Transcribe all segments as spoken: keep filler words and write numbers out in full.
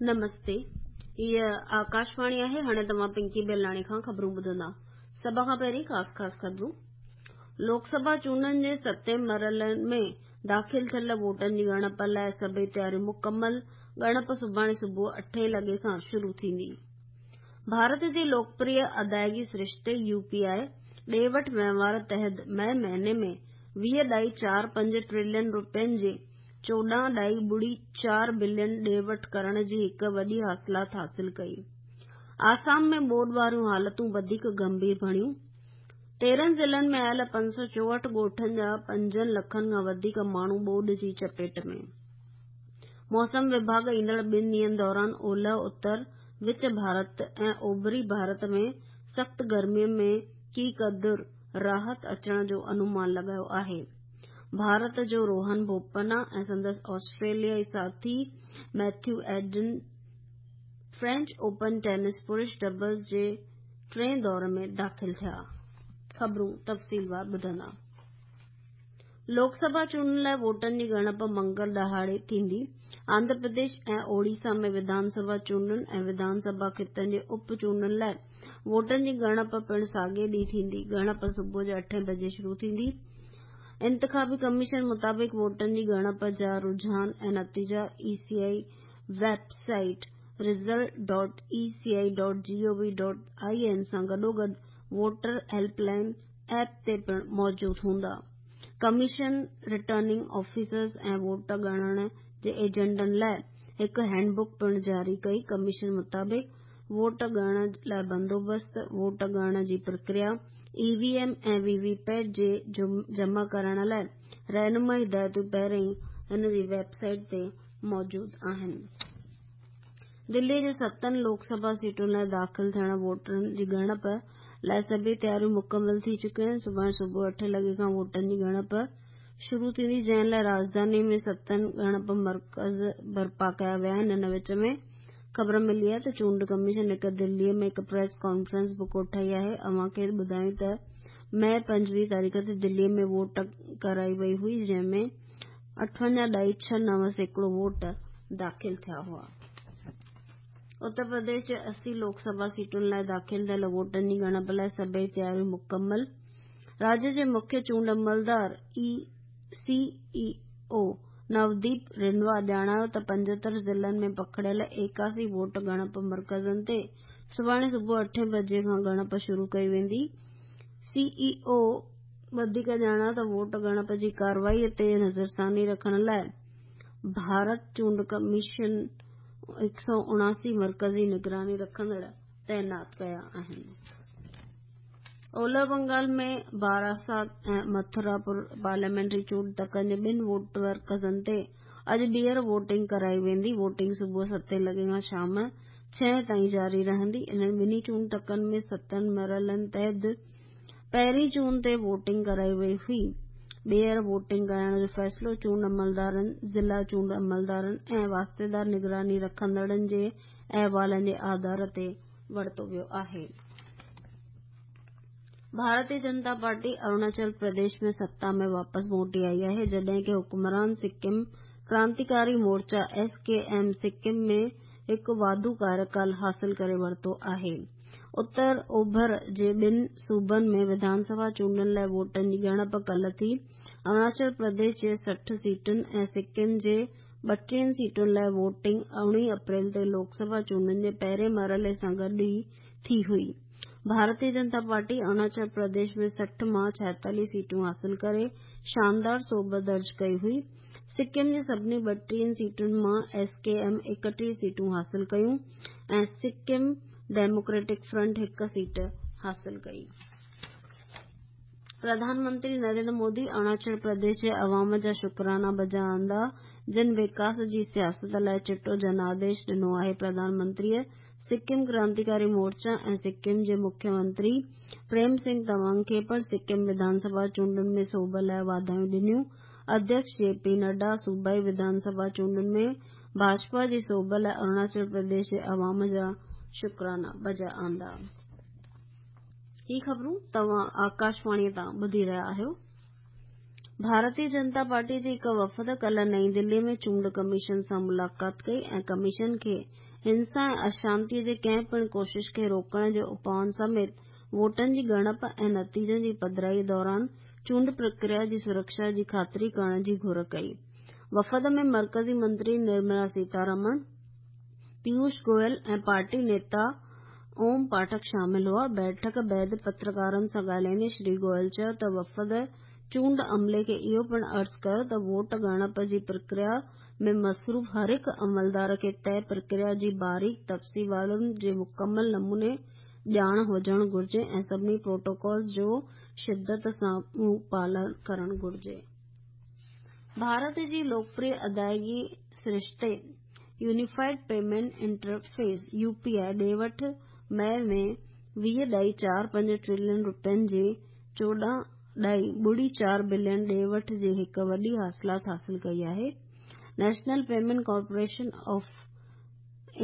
نمستي، هيء آڪاشواڻي آهي. هاڻي توهان پنڪي بيلاڻي کان خبرون ٻڌندا. سڀ کان پهرين خاص خاص خبرون. لوڪ سڀا چونڊن جي ستين مرحلي ۾ داخل ٿيل ووٽن جي ڳڻپ لاءِ سڀئي تياريون مڪمل. ڳڻپ سڀاڻي صبح اٺين لڳي کان شروع ٿيندي. ڀارت جي لوڪپريه ادائگي سرشتي يو پي آء ڏي وٺ وهنوار تحت مئي مهيني ۾ ويهه ڏهائي چار پنج ٽريلين رپين جي چوڏهن ڏهائي ٻڙي چار بلين ڏي وٺ ڪرڻ جي هڪ وڏي حاصلات حاصل ڪئي. آسام ۾ ٻوڏ واريون حالتون وڌيڪ گنڀير بڻيون. تيرهن ضلعن ۾ آيل پنج سؤ چوهٺ ڳوٺن جا پنجن لکن کان وڌيڪ ماڻهو ٻوڏ جي چپيٽ ۾. موسم وڀاڳ ايندڙ ٻن ڏينهن دوران اولهه، اتر، وچ ڀارت ۽ اوڀري ڀارت ۾ سخت گرمي ۾ ڪي قدر راحت اچڻ جو انومان لڳايو آهي. ڀارت جو روهن بوپنا ۽ سندس آسٽريليائي ساٿي Matthew Ebden French Open tense پرش ڊبلز جي ٽئين دور ۾ داخل ٿيا. خبرون تفصيلوار ٻڌندا. لوڪ سڀا چونڊن لاءِ ووٽن جي ڳڻپ منگل ڏهاڙي ٿيندي. آنڌرا پرديش ۽ اوڙيسا ۾ وڌان سڀا چونڊن ۽ وڌان سڀا خطن جي اپ چونڊن لاءِ ووٽن جي ڳڻپ پڻ ساڳئي ڏينهن ٿيندي. ڳڻپ صبح جو اٺين بجي شروع ٿيندي. انتخابي ڪميشن مطابق ووٽن جي ڳڻپ جا رجحان ۽ نتيجا E C I website result dot E C I dot G O V dot I N سان گڏوگڏ ووٽر هيلپ لائن ايپ تي پڻ موجود هوندا. ڪميشن رٽرننگ آفيسرز ۽ ووٽ ڳڻڻ جي ايجنٽن لاءِ هڪ هينڊ بڪ پڻ جاري ڪئي. ڪميشن مطابق ووٽ ڳڻڻ لاءِ بندوبست، ووٽ ڳڻڻ جي پرڪريا، E V M ۽ V V PAT جي جمع ڪرائڻ لاءِ رهنمائي هدايتون پهرين ئي هن جي ويب سائيٽ تي موجود آهن. دلي جي ستن لوڪ سڀا سيٽن لاءِ داخل ٿيل ووٽن جي ڳڻپ لاءِ سڀئي تياريون مڪمل ٿي چڪيون آهن. سڀاڻي صبح اٺين لڳي کان ووٽن جي ڳڻپ شروع ٿيندي، جنهن لاءِ راڄڌاني ۾ ستن ڳڻپ مرڪز برپا ڪيا ويا آهن. ان وچ ۾ خبر ملي آهي ته چونڊ ڪميشن هڪ دلي ۾ هڪ پريس ڪانفرنس به ڪوٺائي آهي. اوهان کي ٻڌايون ته مئي پنجويهه تاريخ تي دلي ۾ ووٽ ڪرائي وئي هئي، جنهن ۾ اٺونجاهه ڏهائي ڇهه نو سيڪڙو ووٽ داخل ٿيا هئا. اتر پرديش جي اسي لوڪ سڀا سيٽن لاءِ داخل ٿيل ووٽن جي ڳڻپ لاءِ سڀئي تياريون مڪمل. راجيه جي مکيه چونڊ عملدار سي اي او نوديپ رنوا ڄاڻايو ته پنجهتر ضلعن ۾ پکڙيل ايڪاسي ووٽ ڳڻپ مرڪزن تي سڀاڻي صبح اٺين بجي کان ڳڻپ شروع ڪئي ويندي. سي اي او وڌيڪ ڄاڻايو ته ووٽ ڳڻپ جي ڪارروائي تي نظرثاني رکڻ لاءِ ڀارت چونڊ ڪميشن هڪ سؤ اڻاسي مرڪزي نگراني رکندڙ تعينات ڪيا آهن. اولهه بنگال ۾ باراسات ۽ مٿراپور پارليامينٽري چونڊ تڪن جي ٻن ووٽ مرڪزن تي اڄ ٻيهر ووٽنگ ڪرائي ويندي. ووٽنگ صبح ستين لڳي کان شام ڇهين تائين جاري رهندي. انهن ٻنهي چونڊ تڪن ۾ ستن مرحلن تحت پهرين جون تي ووٽنگ ڪرائي وئي هئي. ٻيهر ووٽنگ ڪرائڻ جو فيصلو چونڊ عملدارن، ضلع چونڊ عملدارن ۽ واسطيدار نگراني رکندڙن جي احوالن جي آڌار تي ورتو ويو آهي. ڀارتيه جنتا پارٽي اروناچل پرديش ۾ ستا ۾ واپس موٽي آئي آهي، جڏهن ڪه حڪمران سڪم ڪرانتيڪاري مورچا ايس ڪي ايم سڪم ۾ هڪ واڌو ڪاريڪال حاصل ڪري ورتو آهي. اتر اوڀر جي ٻن صوبن ۾ وڌان سڀا چونڊن لاءِ ووٽن جي ڳڻپ ڪالهه ٿي. اروناچل پرديش جي سٺ سيٽن ۽ سڪم جي ٻٽيهن سيٽن لاءِ ووٽنگ اڻويهه اپريل تي لوڪ سڀا چونڊن جي پهرين مرحلي سان گڏ ئي ٿي هئي. ڀارتيه جنتا پارٽي اروناچل پرديش ۾ سٺ مان ڇائيتاليهه سيٽون حاصل ڪري شاندار سوڀ درج ڪئي هئي. سڪم جي سڀني ٻٽيهن سيٽن مان ايس ڪي ايم ايڪٽيهه سيٽون حاصل ڪيون ۽ سڪم ڊيموڪريٽڪ فرنٽ هڪ سيٽ حاصل ڪئي. پرڌان منتري نريندر مودي اروناچل پرديش جي عوام جا شڪرانا بجا آندا، جن وڪاس جي سياست لاءِ چٽو جناديش ڏنو آهي. پرڌان منتريءَ سڪم ڪرانتيڪاري مورچا ۽ سڪم جي مکيه منتري پريم سنگهه تمانگ کي پڻ سڪم وڌان سڀا چونڊن ۾ سوڀ لاءِ واڌايون ڏنيون. اڌيڪش جي پي نڊا صوبائي وڌان سڀا چونڊن ۾ ڀاجپا جي سوڀ لاءِ اروناچل پرديش جي عوام جا شڪرانا بجا آندا. هي خبرون توهان آڪاشواڻيءَ تان ٻڌي رهيا آهيو. ڀارتيه جنتا پارٽي جي هڪ وفد ڪالهه نئين دلي ۾ چونڊ ڪميشن سان ملاقات ڪئي ۽ ڪميشن کي हिंसा ऐं अशांतीअ जे कंहिं पिणु कोशिश खे रोकण जे उपाउनि समेत वोटनि जी ॻणप ऐं नतीजनि जी पधराईअ दौरान चूंड प्रक्रिया जी सुरक्षा जी ख़ातिरी करण जी घुर कई। वफ़द में मर्कज़ी मंत्री निर्मला सीतारमण, पीयूष गोयल ऐं पार्टी नेता ओम पाठक शामिल हुआ। बैठक बाद पत्रकारनि सां ॻाल्हाईंदे श्री गोयल चयो त वफ़द चूंड अमले खे इहो पिणु अर्ज़ कयो त वोट ॻणप जी प्रक्रिया में मसरूफ़ हर हिकु अमलदार खे तय प्रक्रिया जी बारीक तफ़सीलातनि जी मुकमल नमूने ॼाण हुजणु घुर्जे ऐं सभिनी प्रोटोकॉल्स जो शिदत सां पालन करणु घुर्जे। भारत जी लोकप्रिय अदायगी सरिश्ते यूनिफाइड पेमेंट इंटरफेस यूपीआई ॾे वठ मई में वीह ॾाई चार पंज ट्रिलियन रुपयनि जे चोॾहं ॾाई ॿुड़ी चार बिलियन ॾे वठ जी हिकु वॾी हासिलात हासिल कई आहे। National payment corporation of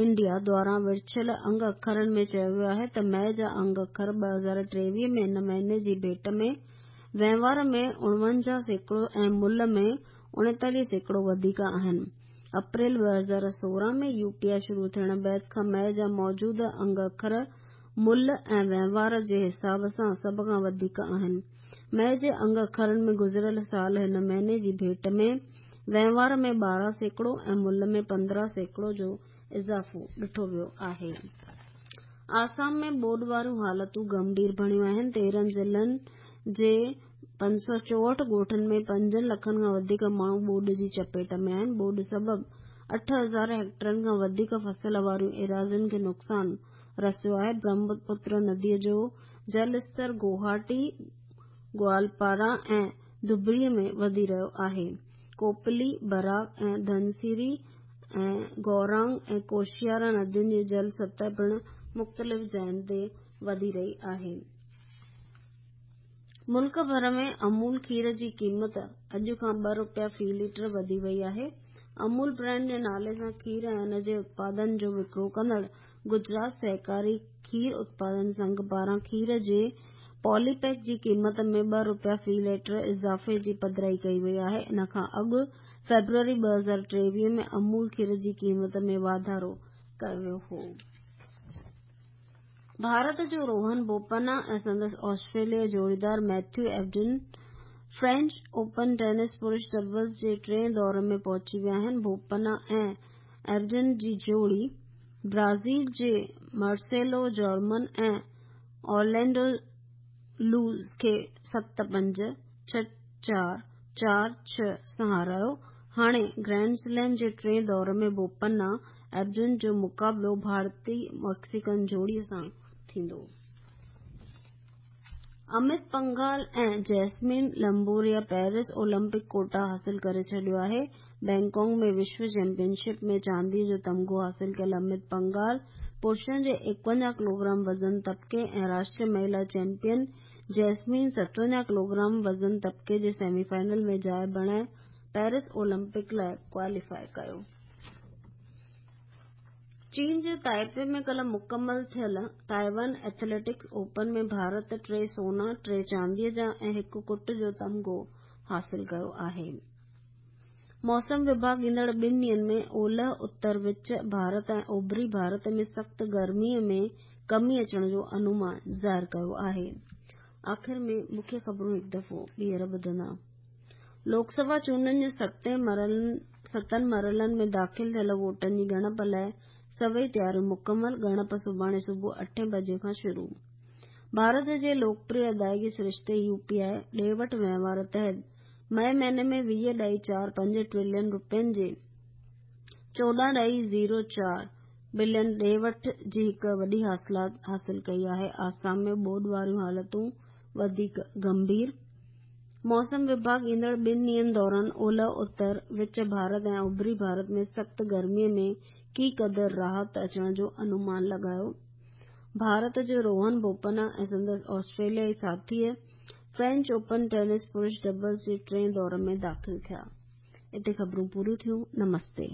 India द्वारा विरछियल अंग अखरनि में चयो वियो आहे त मई जा अंग अखर ॿ हज़ार टेवीह में हिन महीने जी भेंट में वहिंवार में उणवंजाह सैकड़ो ऐं मुल्ह में उणेतालीह सैकड़ो वधीक आहिनि। अप्रैल ॿ हज़ार सोरहं में यूपीआई शुरू थियण बाद खां मई जा मौजूदा अंग अखर मुल्ह ऐं वहिंवार जे हिसाब सां सभ खां वधीक आहिनि। मई जे अंग अखरनि में गुज़िरियल साल हिन महीने जी भेंट में वहिंवार में ॿारहं सैकड़ो ऐं मुल्ह में पंद्रहं सैकड़ो जो इज़ाफ़ो ॾिठो वियो आहे। आसाम में ॿोॾ वारियूं हालतूं गंभीर बणियूं आहिनि। तेरहं ज़िलनि जे पंज सौ चोहठि ॻोठनि में पंजनि लखनि खां वधीक माण्हू ॿोॾ जी चपेट में आहिनि। ॿोॾ सबबु अठ हज़ार हेक्टरनि खां वधीक फसल वारियूं एराज़ियुनि खे नुक़सानु रसियो आहे। ब्रह्मपुत्र नदीअ जो जल स्तर गुवाहाटी, ग्वालपारा ऐं धुबरीअ में वधी रहियो आहे। कोपली, बराक ऐं धनसिरी ऐं गौरांग ऐं कोशियारा नदियुनि जी जल सतह पिणु मुख़्तलिफ़ जायुनि ते वधी रही आहे। मुल्क भर में अमूल खीर जी क़ीमत अॼु खां ॿ रुपया फ़ी लीटर वधी वई आहे। अमूल ब्रांड जे नाले सां खीर ऐं उन जे उत्पादन जो विकिरो कंदड़ गुजरात सहकारी खीर उत्पादन संघ पारां खीर जे पॉलीपैक जी क़ीमत में ॿ रुपया फ़ी लीटर इज़ाफ़े जी पधराई कई वई आहे। इन खां अॻु फ़ेब्रुअरी ॿ हज़ार टेवीह में अमूल खीर जी क़ीमत में वाधारो कयो वियो हो। भारत जो रोहन बोपन्ना ऐं संदसि ऑस्ट्रेलियाई जोड़ीदार Matthew Ebden French Open tennis पुरुष डबल्स जे टें दौर में पहुची विया आहिनि। बोपन्ना ऐं एबडन जी जोड़ी ब्राज़ील जे मार्सेलो जॉर्मन ऐं ऑरलैंडो लूज़ खे सत पंज, छह चार, चार छह सां हारायो। हाणे ग्रैंड स्लैम जे टें दौर में बोपन्ना एबडन जो मुक़ाबिलो भारतीय मैक्सिकन जोड़ीअ सां थींदो। अमित पंघाल ऐं Jaismine Lamboria Paris Olympic quota हासिल करे छॾियो आहे। बैंकॉक में विश्व चैंपियनशिप में चांदीअ जो तमगो हासिल कयल अमित पंघाल पुरुषनि जे एकवंजाह किलोग्राम वज़न तबके ऐं राष्ट्रीय महिला चैंपियन जैस्मीन सतवंजाह किलोग्राम वज़न तबके जे सेमीफाइनल में जाइ बणाए पेरिस ओलंपिक लाइ क्वालीफाई कयो। चीन जे ताइपे में कल्ह मुकमल थियल ताइवान एथलेटिक्स ओपन में भारत टे सोना, टे चांदीअ जा ऐं हिकु कुट जो तमगो हासिल कयो आहे। मौसम विभाग ईंदड़ ॿिनि ॾींहंनि में ओलह, उत्तर विच भारत ऐं ओभरी भारत में सख़्तु गर्मीअ में कमी अचण जो अनुमान ज़ाहिर कयो आहे। आख़िर में मुख्य ख़बरूं हिकु दफ़ो ॿीहर ॿुधंदा। लोकसभा चूंडनि जे सतनि मरहलनि में दाख़िल थियल वोटनि जी ॻणप लाइ सभई तयारियूं मुकमल। ॻणप सुभाणे सुबुह अठे बजे खां शुरू। भारत जे लोकप्रिय अदायगी सरिश्ते यूपीआई ॾे वठ वहिंवार तहत मई महीने में वीह ॾाई चार पंज ट्रिलियन रुपयनि जे चोॾहं ॾाई ज़ीरो चार बिलियन ॾे वठ जी हिकु वॾी हासिलात हासिल कई आहे। आसाम में ॿोॾ वारियूं हालतूं वधीक गंभीर। मौसम विभाग ईंदड़ ॿिनि ॾींहंनि दौरान ओलह, उत्तर, विच भारत ऐं उभरी भारत में सख़्तु गर्मीअ में की क़दुरु राहत अचण जो अनुमान लॻायो। भारत जो रोहन बोपन्ना ऐं संदसि ऑस्ट्रेलियाई साथीअ फ्रेंच ओपन टेनिस पुरुष डबल्स जे टें दौर में दाख़िल थिया। हिते ख़बरूं पूरियूं थियूं। नमस्ते।